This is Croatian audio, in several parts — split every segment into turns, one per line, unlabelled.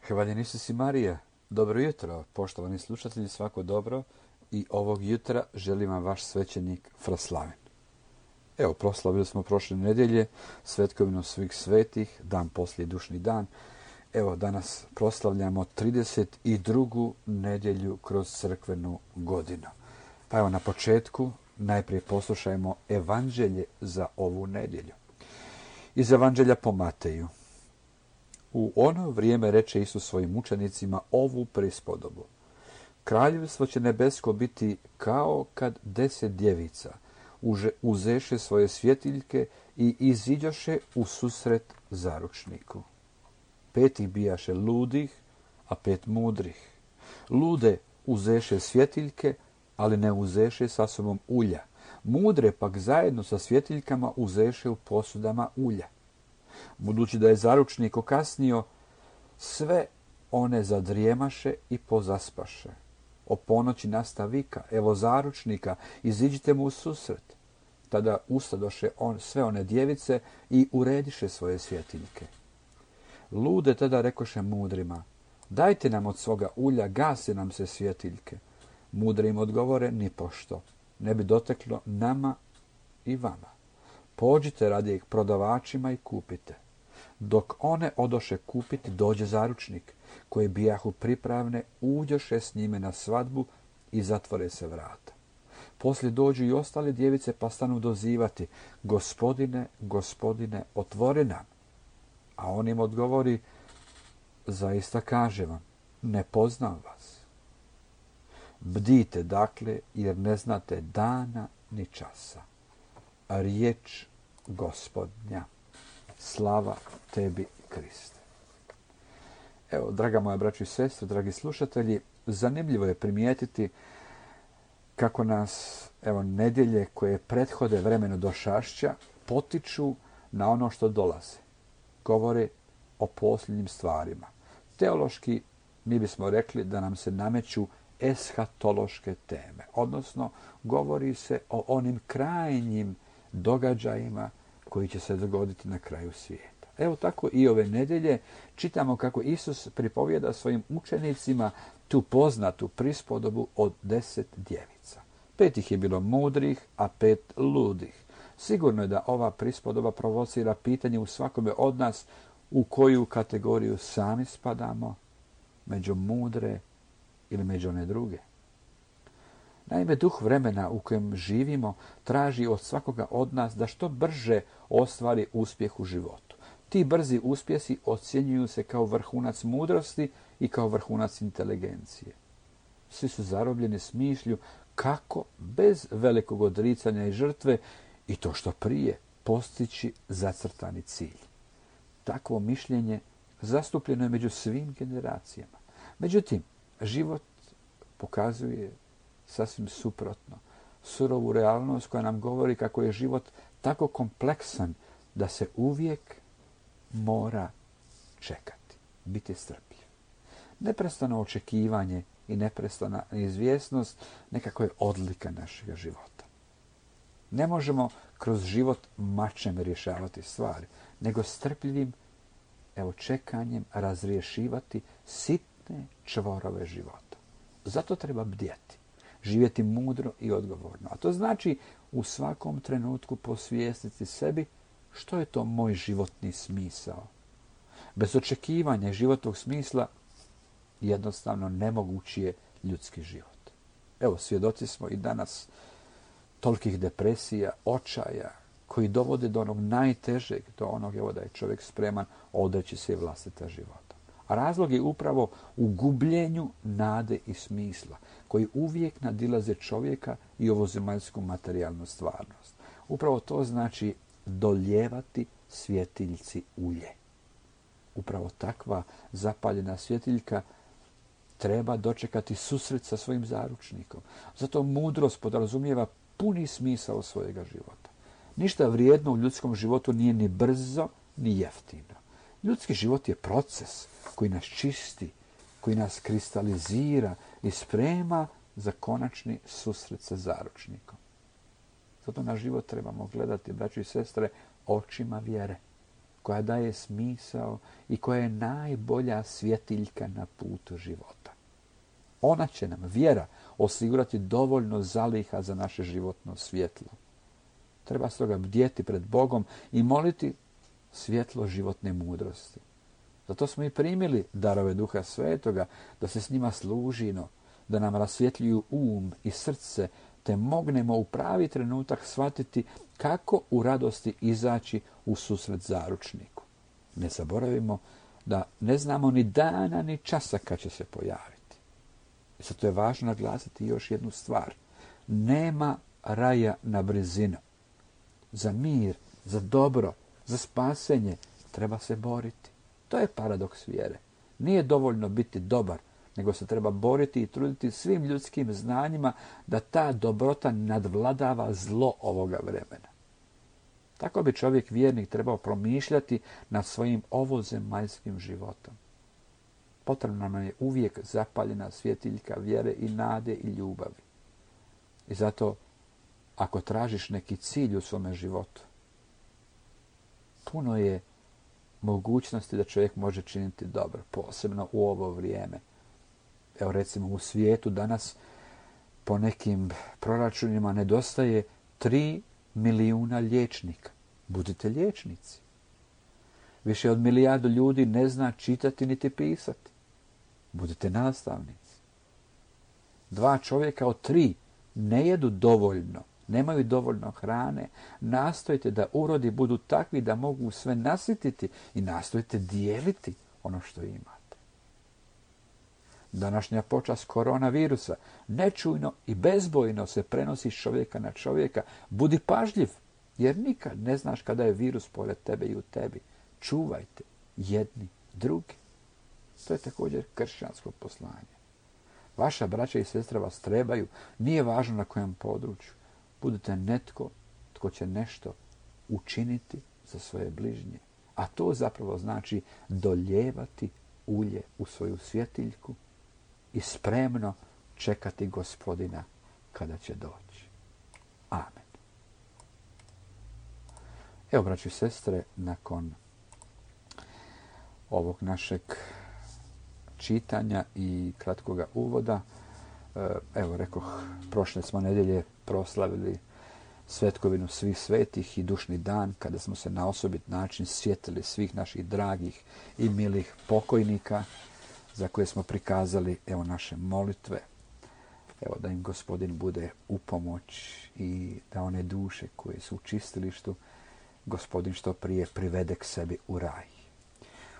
Hvaljen Isus i Marija. Dobro jutro, poštovani slušatelji, svako dobro. I ovog jutra želim vam vaš svećenik Fraslaven. Evo, proslavili smo prošle nedjelje svetkovinu svih svetih, dan poslije dušni dan. Evo, danas proslavljamo 32. nedjelju kroz crkvenu godinu. Pa evo, na početku najprije poslušajmo evanđelje za ovu nedjelju. Iz evanđelja po Mateju. U ono vrijeme reče Isus svojim učenicima ovu prispodobu. Kraljevstvo će nebesko biti kao kad 10 djevica uzeše svoje svjetiljke i iziđoše u susret zaručniku. 5 ih bijaše ludih, a 5 mudrih. Lude uzeše svjetiljke, ali ne uzeše sa sobom ulja. Mudre pak zajedno sa svjetiljkama uzeše u posudama ulja. Budući da je zaručnik okasnio, sve one zadrijemaše i pozaspaše. O ponoći nasta vika, evo zaručnika, iziđite mu u susret. Tada ustadoše sve one djevice i urediše svoje svjetiljke. Lude tada rekoše mudrima, dajte nam od svoga ulja, gase nam se svjetiljke. Mudri im odgovore, nipošto, ne bi doteklo nama i vama. Pođite radi ih prodavačima i kupite. Dok one odoše kupiti, dođe zaručnik, koji bijahu pripravne, uđoše s njime na svadbu i zatvore se vrata. Poslije dođu i ostale djevice pa stanu dozivati, gospodine, gospodine, otvori nam. A on im odgovori, zaista kažem vam, ne poznam vas. Bdite dakle, jer ne znate dana ni časa. Riječ Gospodnja. Slava tebi, Kriste. Evo, draga moja braćo i sestre, dragi slušatelji, zanimljivo je primijetiti kako nas, evo, nedjelje koje prethode vremenu došašća potiču na ono što dolazi. Govore o posljednjim stvarima. Teološki mi bismo rekli da nam se nameću eshatološke teme, odnosno govori se o onim krajnjim događajima koji će se dogoditi na kraju svijeta. Evo tako i ove nedjelje čitamo kako Isus pripovijeda svojim učenicima tu poznatu prispodobu od 10 djevica. 5 ih je bilo mudrih, a 5 ludih. Sigurno je da ova prispodoba provocira pitanje u svakome od nas u koju kategoriju sami spadamo, među mudre ili među one druge. Naime, duh vremena u kojem živimo traži od svakoga od nas da što brže ostvari uspjeh u životu. Ti brzi uspjesi ocjenjuju se kao vrhunac mudrosti i kao vrhunac inteligencije. Svi su zarobljeni s mišlju kako bez velikog odricanja i žrtve i to što prije postići zacrtani cilj. Takvo mišljenje zastupljeno je među svim generacijama. Međutim, život pokazuje sasvim suprotno. Surovu realnost koja nam govori kako je život tako kompleksan da se uvijek mora čekati, biti strpljiv. Neprestano očekivanje i neprestana neizvjesnost nekako je odlika našega života. Ne možemo kroz život mačem rješavati stvari, nego strpljivim, čekanjem razriješivati sitne čvorove života. Zato treba bdjeti. Živjeti mudro i odgovorno. A to znači u svakom trenutku posvijestiti sebi što je to moj životni smisao. Bez očekivanja životnog smisla jednostavno nemogući je ljudski život. Evo, svjedoci smo i danas tolikih depresija, očaja, koji dovode do onog najtežeg, do onog da je čovjek spreman odreći se vlastita života. A razlog je upravo u gubljenju nade i smisla, koji uvijek nadilaze čovjeka i ovozemaljsku materijalnu stvarnost. Upravo to znači dolijevati svjetiljci ulje. Upravo takva zapaljena svjetiljka treba dočekati susret sa svojim zaručnikom. Zato mudrost podrazumijeva puni smisao svojega života. Ništa vrijedno u ljudskom životu nije ni brzo, ni jeftino. Ljudski život je proces koji nas čisti, koji nas kristalizira i sprema za konačni susret sa zaručnikom. Zato na život trebamo gledati, braćo i sestre, očima vjere. koja daje smisao i koja je najbolja svjetiljka na putu života. Ona će nam, vjera, osigurati dovoljno zaliha za naše životno svjetlo. Treba stoga bdjeti pred Bogom i moliti svjetlo životne mudrosti. Zato smo i primili darove Duha Svetoga, da se s njima služimo, da nam rasvjetljuju i srce, te mognemo u pravi trenutak shvatiti kako u radosti izaći u susret zaručniku. Ne zaboravimo da ne znamo ni dana ni časa kad će se pojaviti. I zato je važno naglasiti još jednu stvar. Nema raja na brzinu. Za mir, za dobro, za spasenje treba se boriti. To je paradoks vjere. Nije dovoljno biti dobar, nego se treba boriti i truditi svim ljudskim znanjima da ta dobrota nadvladava zlo ovoga vremena. Tako bi čovjek vjernik trebao promišljati nad svojim ovozemaljskim životom. Potrebna nam je uvijek zapaljena svjetiljka vjere i nade i ljubavi. I zato, ako tražiš neki cilj u svome životu, puno je mogućnosti da čovjek može činiti dobro, posebno u ovo vrijeme. Evo recimo u svijetu danas po nekim proračunima nedostaje 3 milijuna liječnika. Budite liječnici. Više od 1 milijardu ljudi ne zna čitati niti pisati. Budite nastavnici. 2 čovjeka od 3 ne jedu dovoljno, nemaju dovoljno hrane. Nastojite da urodi budu takvi da mogu sve nasititi i nastojite dijeliti ono što imate. Današnja počast koronavirusa nečujno i bezbojno se prenosi s čovjeka na čovjeka. Budi pažljiv, jer nikad ne znaš kada je virus pored tebe i u tebi. Čuvajte jedni drugi. To je također kršćansko poslanje. Vaša braća i sestra vas trebaju, nije važno na kojem području. Budite netko tko će nešto učiniti za svoje bližnje. A to zapravo znači doljevati ulje u svoju svjetiljku i spremno čekati Gospodina kada će doći. Amen. Evo, braći i sestre, nakon ovog našeg čitanja i kratkoga uvoda, evo rekoh, prošle smo nedjelje proslavili svetkovinu svih svetih i dušni dan, kada smo se na osobit način sjetili svih naših dragih i milih pokojnika, za koje smo prikazali evo naše molitve. Evo da im Gospodin bude u pomoć i da one duše koje su u čistilištu Gospodin što prije privede k sebi u raj.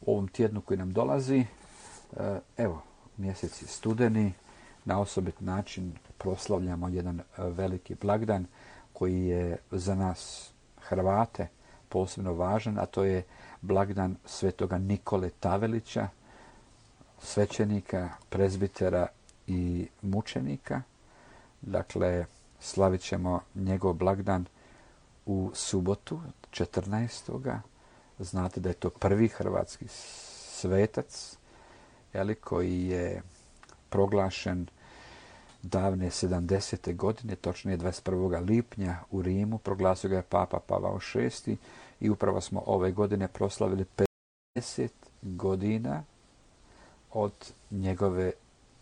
U ovom tjednu koji nam dolazi, evo, mjesec je studeni, na osobit način proslavljamo jedan veliki blagdan koji je za nas Hrvate posebno važan, a to je blagdan svetoga Nikole Tavelića, svećenika, prezbitera i mučenika. Dakle, slavit ćemo njegov blagdan u subotu, 14. Znate da je to prvi hrvatski svetac, koji je proglašen davne 70. godine, točnije 21. lipnja u Rimu. Proglasio ga je Papa Pavao VI i upravo smo ove godine proslavili 50 godina od njegove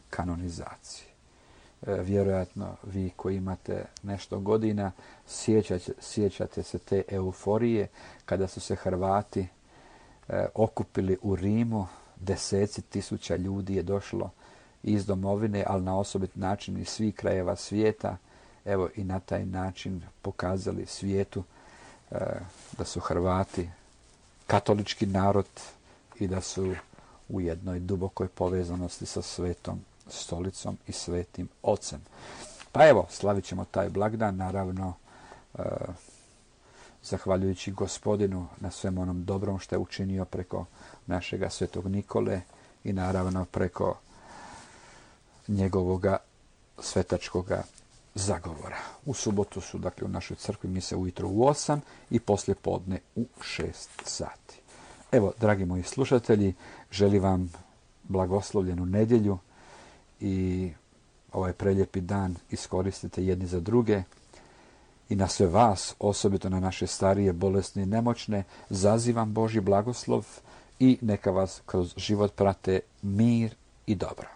kanonizacije. Vjerojatno vi koji imate nešto godina sjećate se te euforije kada su se Hrvati okupili u Rimu. Deseci tisuća ljudi je došlo iz domovine, ali na osobit način iz svih krajeva svijeta. Evo i na taj način pokazali svijetu da su Hrvati katolički narod i da su u jednoj dubokoj povezanosti sa Svetom stolicom i Svetim Ocem. Pa evo, slavit ćemo taj blagdan, naravno zahvaljujući Gospodinu na svem onom dobrom što je učinio preko našega svetog Nikole i naravno preko njegovoga svetačkoga zagovora. U subotu su, dakle, u našoj crkvi mise ujutro u 8 i poslije podne u 6 sati. Evo, dragi moji slušatelji, želim vam blagoslovljenu nedjelju i ovaj preljepi dan iskoristite jedni za druge i na sve vas, osobito na naše starije, bolesne i nemoćne, zazivam Božji blagoslov i neka vas kroz život prate mir i dobro.